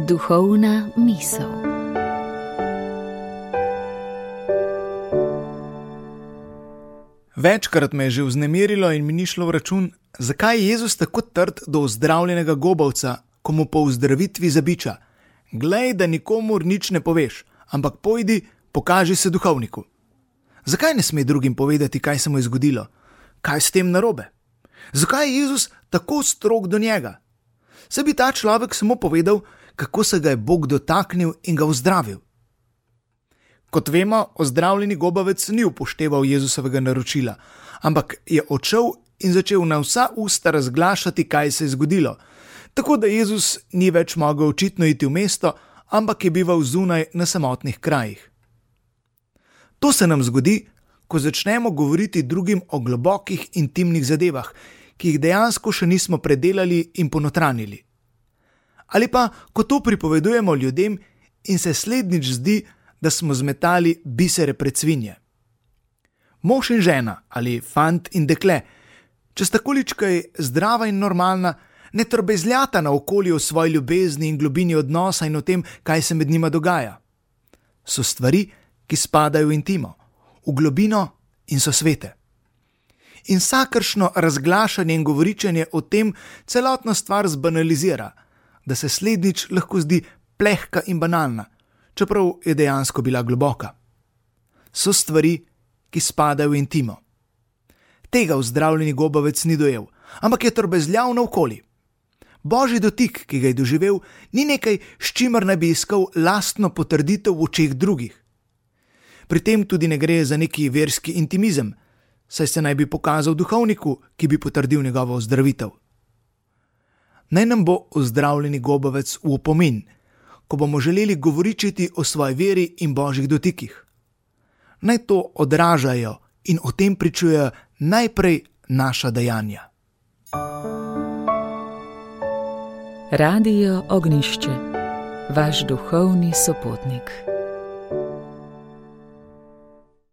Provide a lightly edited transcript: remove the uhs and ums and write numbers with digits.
Duhovna misel. Večkrat me je že vznemirilo in mi ni šlo v račun, zakaj je Jezus tako trd do ozdravljenega gobavca, ko mu po ozdravitvi zabiča: "Glej, da nikomur nič ne poveš, ampak pojdi, pokaži se duhovniku." Zakaj ne sme drugim povedati, kaj se mu je zgodilo? Kaj s tem narobe? Zakaj je Jezus tako strog do njega? Saj bi ta človek samo povedal, kako se ga je Bog dotaknil in ga ozdravil. Kot vemo, ozdravljeni gobavec ni upošteval Jezusovega naročila, ampak je odšel in začel na vsa usta razglašati, kaj se je zgodilo, tako da Jezus ni več mogel očitno iti v mesto, ampak je bival zunaj na samotnih krajih. To se nam zgodi, ko začnemo govoriti drugim o globokih intimnih zadevah, ki jih dejansko še nismo predelali in ponotranili. Ali pa, ko to pripovedujemo ljudem in se slednjič zdi, da smo zmetali bisere pred svinje. Mož in žena ali fant in dekle, če sta količkaj zdrava in normalna, ne trobezljata naokoli o svoji ljubezni in globini odnosa in o tem, kaj se med njima dogaja. So stvari, ki spadajo v intimo, v globino in so svete. In vsakršno razglašanje in govoričenje o tem celotno stvar zbanalizira, da se slednjič lahko zdi plehka in banalna, čeprav je dejansko bila globoka. So stvari, ki spadajo v intimo. Tega ozdravljeni gobavec ni dojel, ampak je trobezljal naokoli. Božji dotik, ki ga je doživel, ni nekaj, s čimer naj bi iskal lastno potrditev v očeh drugih. Pri tem tudi ne gre za neki verski intimizem, saj se naj bi pokazal duhovniku, ki bi potrdil njegovo ozdravitev. Naj nam bo ozdravljeni gobavec v opomin, ko bomo želeli govoričiti o svoji veri in božjih dotikih. Naj to odražajo in o tem pričujejo najprej naša dejanja. Radio Ognjišče, vaš duhovni sopotnik.